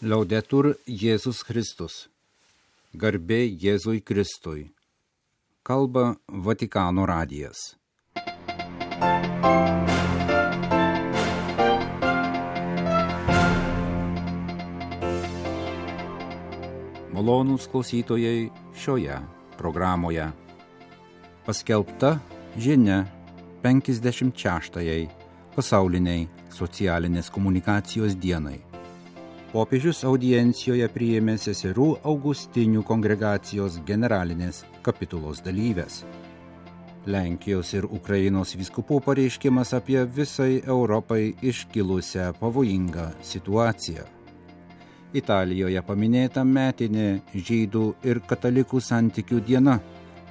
Laudetur Jėzus Kristus. Garbė Jėzui Kristui. Kalba Vatikano radijas. Malonūs klausytojai šioje programoje. Paskelbta žinia 56-ąjai pasauliniai socialinės komunikacijos dienai. Popiežius audiencijoje priėmė seserų Augustinių kongregacijos generalinės kapitulos dalyvės. Lenkijos ir Ukrainos vyskupų pareiškimas apie visai Europai iškilusią pavojingą situaciją. Italijoje paminėta metinė žydų ir katalikų santykių diena.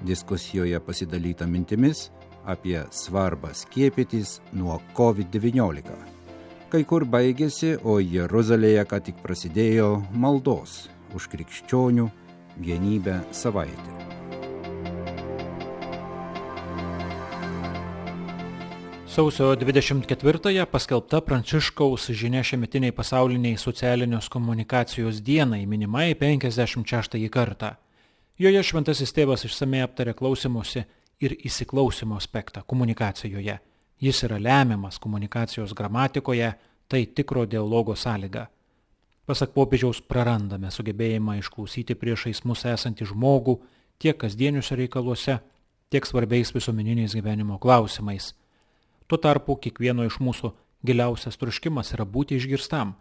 Diskusijoje pasidalyta mintimis apie svarbą skiepytis nuo COVID-19. Kai kur baigėsi, o Jeruzalėje ką tik prasidėjo maldos už krikščionių vienybę savaitė. Sausio 24-ąją paskelbta Pranciškaus žinia šiemetiniai pasauliniai socialinės komunikacijos dienai, minimai 56-ąjį kartą. Joje šventasis tėvas išsamei aptarė klausymosi ir įsiklausymo aspektą komunikacijoje. Jis yra lemiamas komunikacijos gramatikoje, tai tikro dialogo sąlyga. Pasak popiežiaus, prarandame sugebėjimą išklausyti priešais mus esantį žmogų tiek kasdieniuose reikaluose, tiek svarbiais visuomeniniais gyvenimo klausimais. Tuo tarpu kiekvieno iš mūsų giliausias troškimas yra būti išgirstam.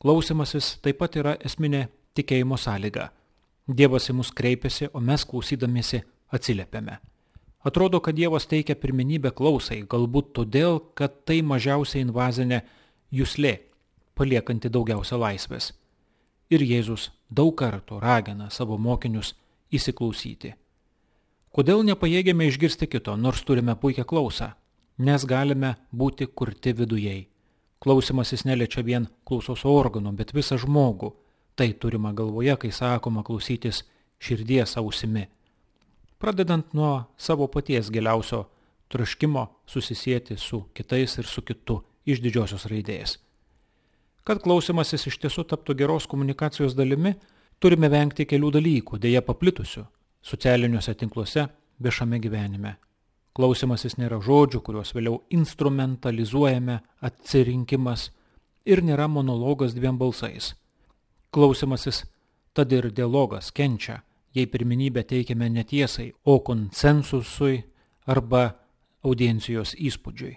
Klausymasis taip pat yra esminė tikėjimo sąlyga. Dievas į mus kreipiasi, o mes klausydamiesi atsiliepiame. Atrodo, kad Dievas teikia pirmenybę klausai, galbūt todėl, kad tai mažiausiai invazinė juslė, paliekanti daugiausia laisvės. Ir Jėzus daug kartų ragina savo mokinius įsiklausyti. Kodėl nepajėgėme išgirsti kito, nors turime puikią klausą? Nes galime būti kurti vidujei. Klausimasis neliečia vien klausos organų, bet visą žmogų. Tai turima galvoje, kai sakoma klausytis širdies ausimi. Pradedant nuo savo paties giliausio troškimo susisieti su kitais ir su kitu iš didžiosios raidės. Kad klausymasis iš tiesų taptų geros komunikacijos dalimi, turime vengti kelių dalykų, dėja paplitusių socialiniuose tinkluose, viešame gyvenime. Klausymasis nėra žodžių, kuriuos vėliau instrumentalizuojame, atsirinkimas ir nėra monologas dviem balsais. Klausymasis, tad ir dialogas kenčia, jei pirmenybę teikiame ne tiesai, o konsensusui arba audiencijos įspūdžiui.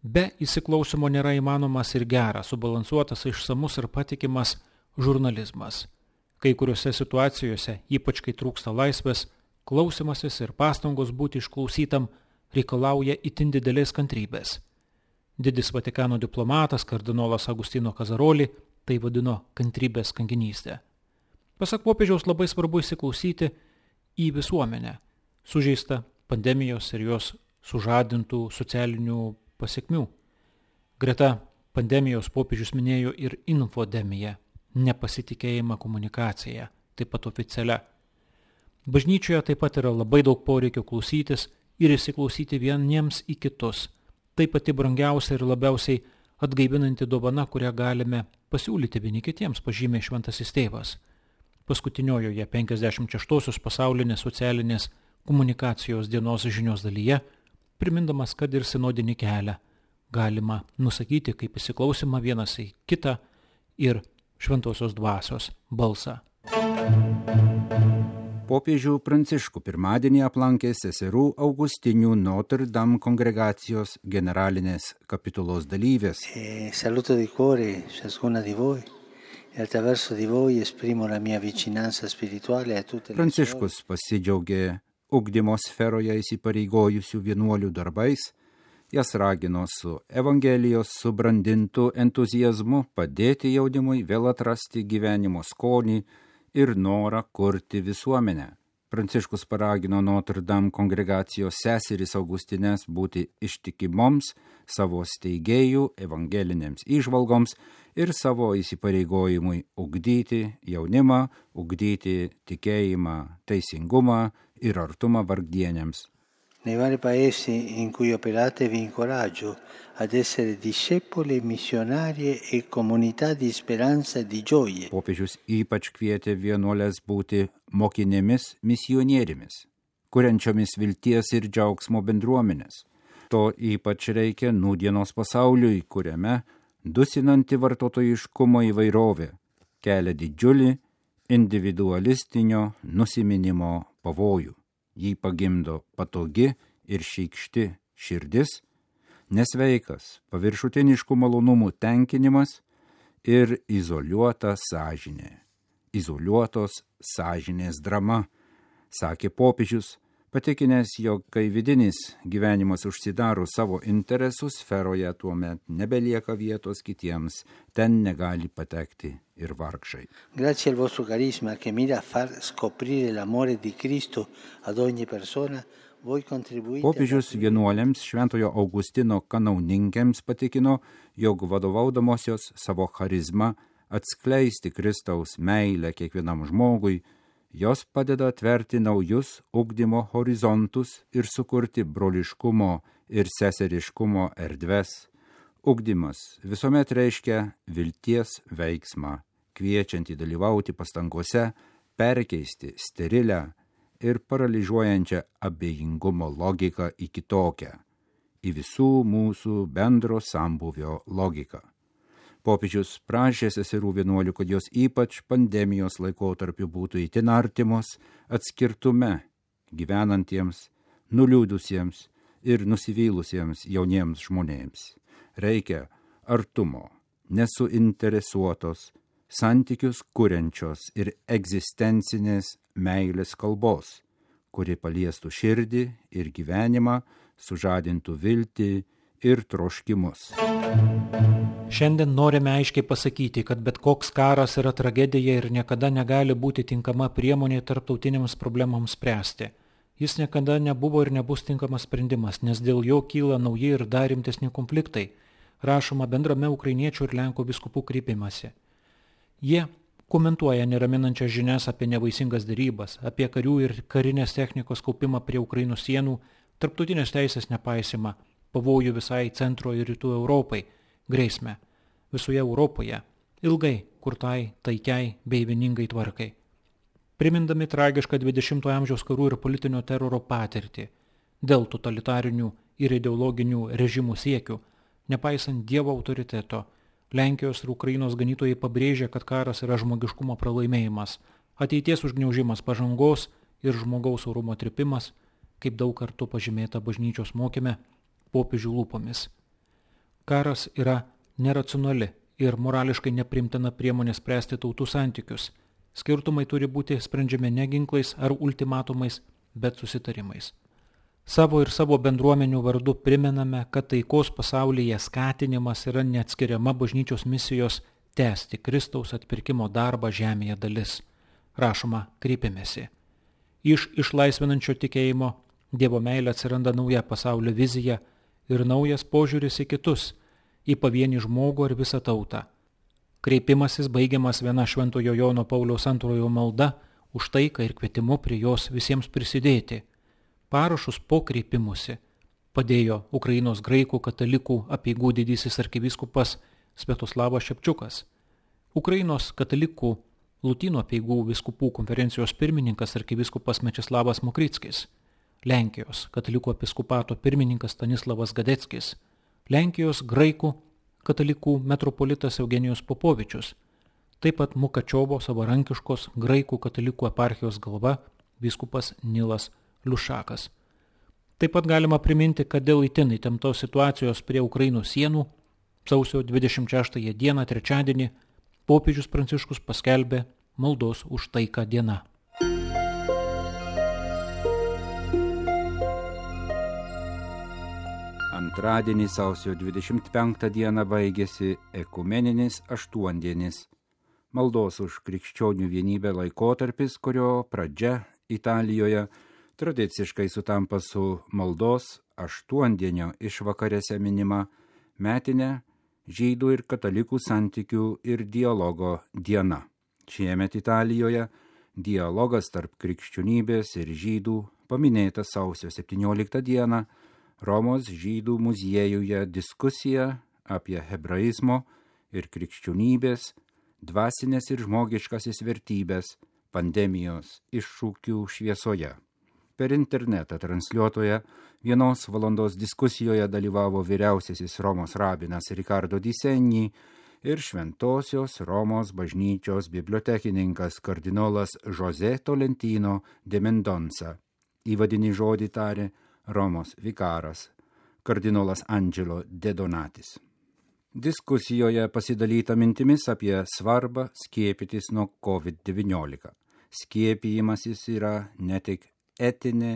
Be įsiklausimo nėra įmanomas ir geras, subalansuotas, išsamus ir patikimas žurnalizmas. Kai kuriuose situacijose, ypač kai trūksta laisvės, klausymasis ir pastangos būti išklausytam reikalauja itin didelės kantrybės. Didis Vatikano diplomatas kardinolas Agustino Kazaroli tai vadino kantrybės kankinystė. Pasak popiežiaus, labai svarbu įsiklausyti į visuomenę, sužeistą pandemijos ir jos sužadintų socialinių pasekmių. Greta pandemijos popiežius minėjo ir infodemiją, nepasitikėjimą komunikaciją, taip pat oficialia. Bažnyčioje taip pat yra labai daug poreikio klausytis ir įsiklausyti vieniems į kitus. Tai pati brangiausia ir labiausiai atgaivinanti dovana, kurią galime pasiūlyti vieni kitiems, pažymė šventasis tėvas. Paskutiniojoje 56-osios pasaulinės socialinės komunikacijos dienos žinios dalyje, primindamas, kad ir sinodinį kelią galima nusakyti kaip įsiklausimą vienas į kitą ir šventosios dvasios balsą. Popiežių Pranciškų pirmadienį aplankė seserų Augustinių Notre Dame kongregacijos generalinės kapitulos dalyvės. Saluto di cuore ciascuna di voi. E attraverso di voi esprimo la mia vicinanza spirituale a tutte le Pranciškus pasidžiaugė ugdymo sferoje įsipareigojusių vienuolių darbais, jas ragino su Evangelijos subrandintu entuziazmu padėti jaunimui vėl atrasti gyvenimo skonį ir norą kurti visuomenę. Pranciškus paragino Notre Dame kongregacijos seseris Augustines būti ištikimoms savo steigėjų evangelinėms įžvalgoms ir savo įsipareigojimui ugdyti jaunimą, ugdyti tikėjimą, teisingumą ir artumą vargdienėms. Nei vari paesi in cui operate vi incoraggio ad essere discepoli, missionari e comunità di speranza e di gioie. Popiežius ypač kvietė vienuolės būti mokinėmis misionierimis, kuriančiomis vilties ir džiaugsmo bendruomenės. To ypač reikia nūdienos pasauliui, kuriame dusinanti vartotojiškumo įvairovė kelia didžiulį individualistinio nusiminimo pavojų. Jį pagimdo patogi ir šykšti širdis, nesveikas paviršutiniškų malonumų tenkinimas ir izoliuota sąžinė. Izoliuotos sąžinės drama, sakė popiežius, patikinęs, jog kai vidinis gyvenimas užsidaro savo interesų sferoje, tuomet nebelieka vietos kitiems, ten negali patekti ir vargšai. Grazie al vostro carisma che mira a far scoprire l'amore di Cristo ad ogni persona, voi contribuite. Popiežius vienuolėms Šventojo Augustino kanauninkėms patikino, jog vadovaudamosios savo charizmą atskleisti Kristaus meilę kiekvienam žmogui, jos padeda atverti naujus ugdymo horizontus ir sukurti broliškumo ir seseriškumo erdves. Ugdymas visuomet reiškia vilties veiksmą, kviečiantį dalyvauti pastangose, perkeisti sterilę ir paralyžiuojančią abejingumo logiką į kitokią, į visų mūsų bendro sambūvio logiką. Popiežius prašė seserų vienuolių, kad jos ypač pandemijos laikotarpiu būtų itin artimos atskirtume gyvenantiems, nuliūdusiems ir nusivylusiems jauniems žmonėms. Reikia artumo, nesuinteresuotos, santykius kuriančios ir egzistencinės meilės kalbos, kuri paliestų širdį ir gyvenimą, sužadintų viltį ir troškimus. Šiandien norime aiškiai pasakyti, kad bet koks karas yra tragedija ir niekada negali būti tinkama priemonė tarptautinėms problemams spręsti. Jis niekada nebuvo ir nebus tinkamas sprendimas, nes dėl jo kyla nauji ir dar rimtesni konfliktai, rašoma bendrame ukrainiečių ir lenkų vyskupų kreipimąsi. Jie komentuoja neraminančias žinias apie nevaisingas derybas, apie karių ir karinės technikos kaupimą prie Ukrainos sienų, tarptautinės teisės nepaisimą, pavojų visai centro ir rytų Europai, grėsmę visoje Europoje, ilgai kurtai, taikiai bei vieningai tvarkai. Primindami tragišką 20-ojo amžiaus karų ir politinio teroro patirtį, dėl totalitarinių ir ideologinių režimų siekių, nepaisant Dievo autoriteto, Lenkijos ir Ukrainos ganytojai pabrėžia, kad karas yra žmogiškumo pralaimėjimas, ateities užgniaužimas pažangos ir žmogaus orumo trypimas, kaip daug kartų pažymėta bažnyčios mokyme, popiežių lūpomis. Karas yra neracionali ir morališkai neprimtina priemonė spręsti tautų santykius. Skirtumai turi būti sprendžiami ne ginklais ar ultimatumais, bet susitarimais. Savo ir savo bendruomenių vardu primename, kad taikos pasaulyje skatinimas yra neatskiriama bažnyčios misijos tęsti Kristaus atpirkimo darbą žemėje dalis. Rašoma kreipimėsi. Iš išlaisvinančio tikėjimo Dievo meilė atsiranda nauja pasaulio vizija ir naujas požiūris į kitus, į pavienį žmogų ir visą tautą. Kreipimasis baigiamas viena Šventojo Jono Pauliaus II malda už taiką ir kvietimu prie jos visiems prisidėti. Parašus po kreipimusi padėjo Ukrainos graikų katalikų apeigų didysis arkivyskupas Sviatoslavas Šepčiukas, Ukrainos katalikų Lotynų apeigų vyskupų konferencijos pirmininkas arkivyskupas Mečislavas Mokrickis, Lenkijos katalikų episkopato pirmininkas Stanislavas Gadeckis, Lenkijos graikų katalikų metropolitas Eugenijus Popovičius, taip pat Mukačiovo savarankiškos graikų katalikų eparchijos galva vyskupas Nilas Liušakas. Taip pat galima priminti, kad dėl itin įtemptos situacijos prie Ukrainos sienų sausio 26 dieną trečiadienį popiežius Pranciškus paskelbė maldos už taiką diena. Antradienį sausio 25 dieną baigėsi ekumeninis aštuondienis, maldos už krikščionių vienybę laikotarpis, kurio pradžia Italijoje tradiciškai sutampa su maldos aštuondienio išvakarėse minima metinė žydų ir katalikų santykių ir dialogo diena. Šiemet Italijoje dialogas tarp krikščionybės ir žydų paminėta sausio 17 dieną Romos žydų muziejuje diskusija apie hebraizmo ir krikščionybės, dvasinės ir žmogiškasis vertybės pandemijos iššūkių šviesoje. Per internetą transliuotoje 1 valandos diskusijoje dalyvavo vyriausiasis Romos rabinas Riccardo Di Segni ir Šventosios Romos bažnyčios bibliotekininkas kardinolas José Tolentino de Mendonça. Įvadinį žodį tarė Romos vikaras kardinolas Angelo De Donatis. Diskusijoje pasidalyta mintimis apie svarbą skiepytis nuo COVID-19. Skiepijimasis yra ne tik etinė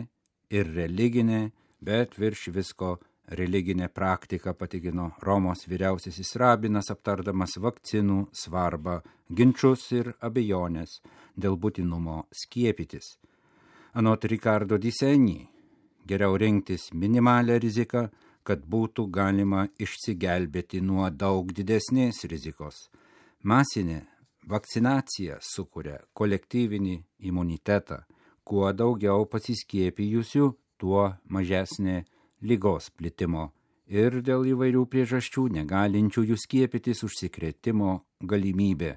ir religinė, bet virš visko religinė praktika, patikino Romos vyriausiasis rabinas, aptardamas vakcinų svarbą, ginčus ir abejonės dėl būtinumo skiepytis. Anot Riccardo Di Segni, geriau rinktis minimalią riziką, kad būtų galima išsigelbėti nuo daug didesnės rizikos. Masinė vakcinacija sukuria kolektyvinį imunitetą. Kuo daugiau pasiskiepijusių, tuo mažesnė ligos plitimo ir dėl įvairių priežasčių negalinčiųjų skiepytis užsikrėtimo galimybė.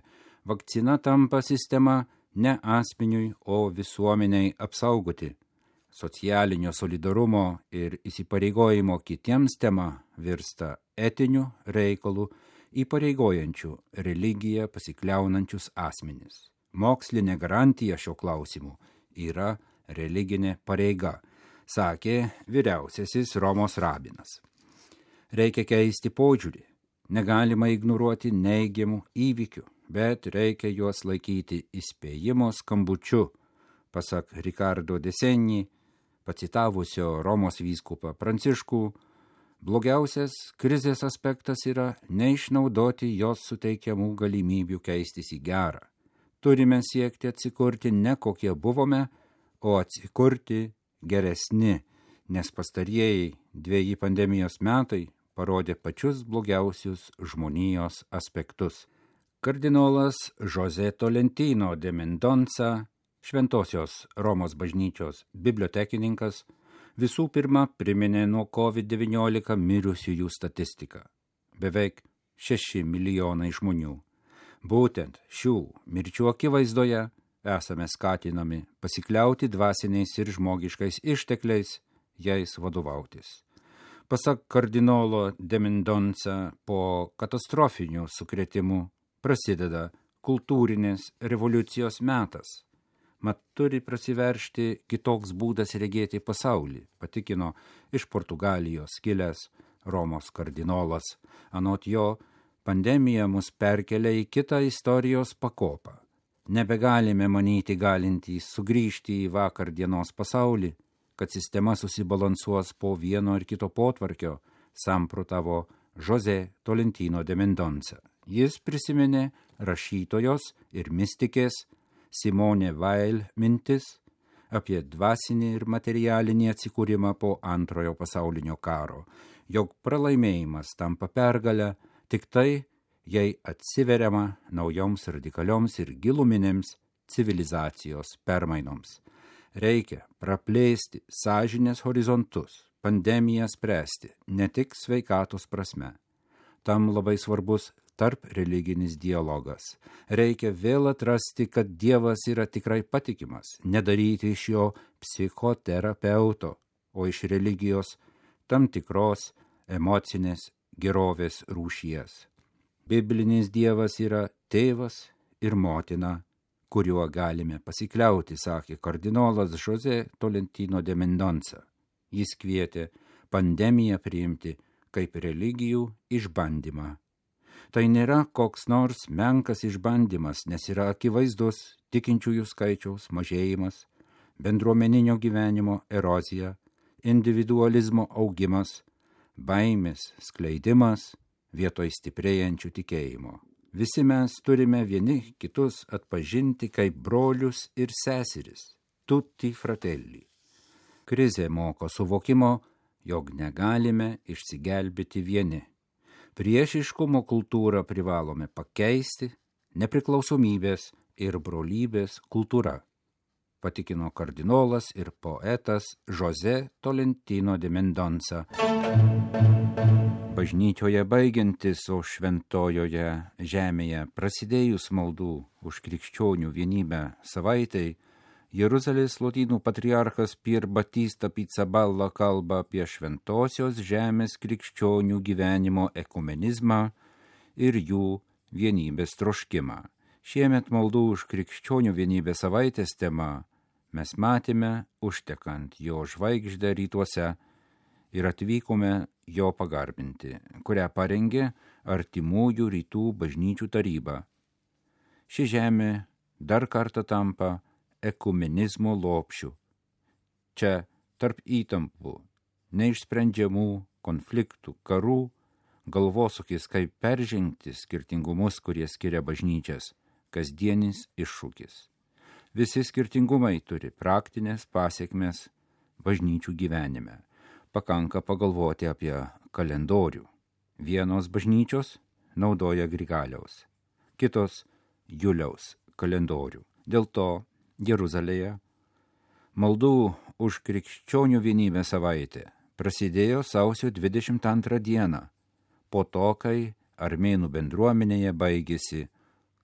Vakcina tampa sistema ne asmeniui, o visuomeniai apsaugoti. Socialinio solidarumo ir įsipareigojimo kitiems tema virsta etiniu reikalu įpareigojančių religiją pasikliaunančius asmenis. Mokslinė garantija šio klausimu yra religinė pareiga, sakė vyriausiasis Romos rabinas. Reikia keisti požiūrį, negalima ignoruoti neigiamų įvykių, bet reikia juos laikyti įspėjimo skambučiu, pasak Riccardo Di Segni, pacitavusio Romos vyskupą Pranciškų, blogiausias krizės aspektas yra neišnaudoti jos suteikiamų galimybių keistis į gerą. Turime siekti atsikurti ne kokie buvome, o atsikurti geresni, nes pastarieji 2 pandemijos metai parodė pačius blogiausius žmonijos aspektus. Kardinolas José Tolentino de Mendonça, Šventosios Romos bažnyčios bibliotekininkas, visų pirma priminė nuo COVID-19 mirusiųjų statistiką. Beveik 6 milijonai žmonių. Būtent šių mirčių akivaizdoje esame skatinami pasikliauti dvasiniais ir žmogiškais ištekliais, jais vadovautis. Pasak kardinolo de Mendonça, po katastrofinių sukrėtimų prasideda kultūrinės revoliucijos metas. Mat turi prasiveršti kitoks būdas regėti pasaulį, patikino iš Portugalijos kilęs Romos kardinolas. Anot jo, pandemija mus perkelia į kitą istorijos pakopą. Nebegalime manyti galintys sugrįžti į vakar dienos pasaulį, kad sistema susibalansuos po vieno ir kito potvarkio, samprotavo José Tolentino de Mendonça. Jis prisiminė rašytojos ir mistikės Simone Weil mintis apie dvasinį ir materialinį atsikūrimą po Antrojo pasaulinio karo, jog pralaimėjimas tampa pergalę tik tai, jei atsiveriama naujoms radikalioms ir giluminėms civilizacijos permainoms. Reikia praplėsti sąžinės horizontus, pandemiją spręsti ne tik sveikatos prasme. Tam labai svarbus tarp religinis dialogas. Reikia vėl atrasti, kad Dievas yra tikrai patikimas, nedaryti iš jo psichoterapeuto, o iš religijos tam tikros emocinės gerovės rūšies. Biblinis Dievas yra tėvas ir motina, kuriuo galime pasikliauti, sakė kardinolas José Tolentino de Mendonça. Jis kvietė pandemiją priimti kaip religijų išbandymą. Tai nėra koks nors menkas išbandymas, nes yra akivaizdus tikinčiųjų skaičiaus mažėjimas, bendruomeninio gyvenimo erozija, individualizmo augimas, baimės skleidimas vietoj stiprėjančių tikėjimo. Visi mes turime vieni kitus atpažinti kaip brolius ir seseris, tutti fratelli. Krizė moko suvokimo, jog negalime išsigelbėti vieni. Priešiškumo kultūrą privalome pakeisti nepriklausomybės ir brolybės kultūra. patikino kardinolas ir poetas José Tolentino de Mendonça. Bažnyčioje baigiantis, o šventojoje žemėje prasidėjus maldų už krikščionių vienybę savaitai, Jeruzalės lotynų patriarchas Pier Batista Pizzaballa kalba apie šventosios žemės krikščionių gyvenimo ekumenizmą ir jų vienybės troškimą. Šiemet maldų už krikščionių vienybę savaitės tema mes matėme užtekant jo žvaigždę rytuose ir atvykome jo pagarbinti, kurią parengė Artimųjų rytų bažnyčių taryba. Ši žemė dar kartą tampa ekumenizmo lopšių. Čia tarp įtampų, neišsprendžiamų konfliktų, karų, galvosūkis, kaip peržengti skirtingumus, kurie skiria bažnyčias, kasdienis iššūkis. Visi skirtingumai turi praktinės pasiekmes bažnyčių gyvenime. Pakanka pagalvoti apie kalendorių. Vienos bažnyčios naudoja Grigaliaus, kitos Juliaus kalendorių. Dėl to Jeruzalėje maldų už krikščionių vienybę savaitė prasidėjo sausio 22 dieną, po to, kai armėnų bendruomenėje baigėsi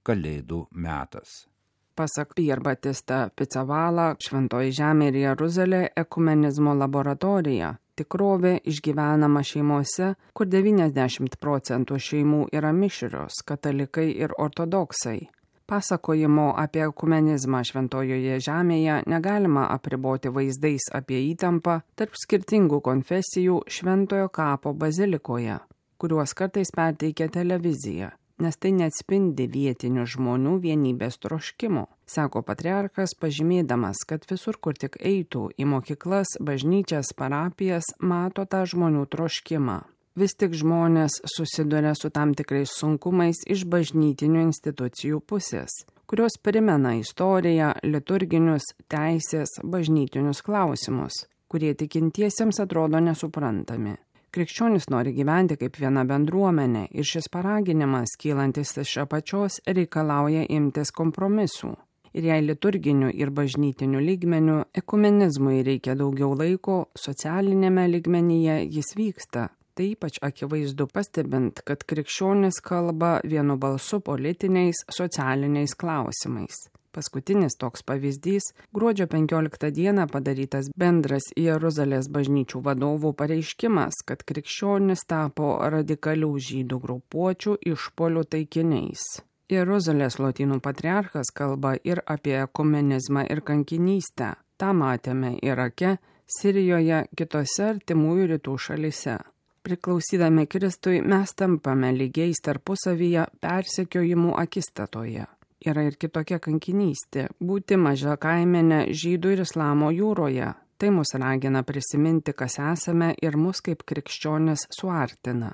Kalėdų metas. Pasak Pier Batista Pizzaballa, Šventoji Žemė ir Jeruzalė ekumenizmo laboratorija. Tikrovė išgyvenama šeimose, kur 90% šeimų yra mišrios, katalikai ir ortodoksai. Pasakojimo apie ekumenizmą Šventojoje Žemėje negalima apriboti vaizdais apie įtampą tarp skirtingų konfesijų Šventojo kapo bazilikoje, kuriuos kartais perteikia televizija, nes tai neatspindi vietinių žmonių vienybės troškimo, sako patriarchas, pažymėdamas, kad visur, kur tik eitų į mokyklas, bažnyčias, parapijas, mato tą žmonių troškimą. Vis tik žmonės susiduria su tam tikrais sunkumais iš bažnytinių institucijų pusės, kurios primena istoriją, liturginius, teisės, bažnytinius klausimus, kurie tikintiesiems atrodo nesuprantami. Krikščionys nori gyventi kaip viena bendruomenė ir šis paraginimas, kylantis iš apačios, reikalauja imtis kompromisų. Ir jei liturginiu ir bažnytiniu lygmeniu ekumenizmui reikia daugiau laiko, socialinėme lygmenyje jis vyksta. Tai ypač akivaizdu pastebint, kad krikščionys kalba vienu balsu politiniais, socialiniais klausimais. Paskutinis toks pavyzdys – gruodžio 15 dieną padarytas bendras Jeruzalės bažnyčių vadovų pareiškimas, kad krikščionys tapo radikalių žydų grupuočių išpuolių taikiniais. Jeruzalės lotynų patriarchas kalba ir apie ekumenizmą ir kankinystę. Ta matėme Irake, Sirijoje, kitose artimųjų rytų šalyse. Priklausydami Kristui mes tampame lygiais tarpusavyje persekiojimų akistatoje. Yra ir kitokia kankinystė – būti maža kaimenė žydų ir islamo jūroje. Tai mus ragina prisiminti, kas esame ir mus kaip krikščionis suartina.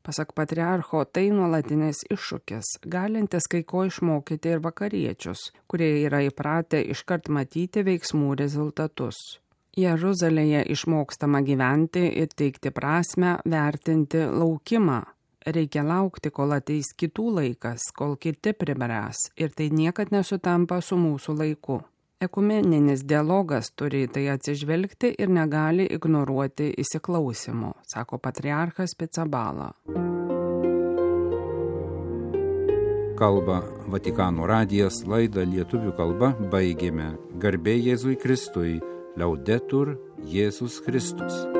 Pasak patriarcho, tai nuolatinis iššūkis, galintis kai ko išmokyti ir vakariečius, kurie yra įpratę iškart matyti veiksmų rezultatus. Jeruzalėje išmokstama gyventi ir teikti prasmę, vertinti laukimą. Reikia laukti, kol ateis kitų laikas, kol kiti pribręs, ir tai niekad nesutampa su mūsų laiku. Ekumeninis dialogas turi tai atsižvelgti ir negali ignoruoti įsiklausimo, sako patriarchas Pizzaballa. Kalba Vatikano radijas, laidą lietuvių kalba baigėme. Garbė Jėzui Kristui. Laudetur Jėzus Kristus.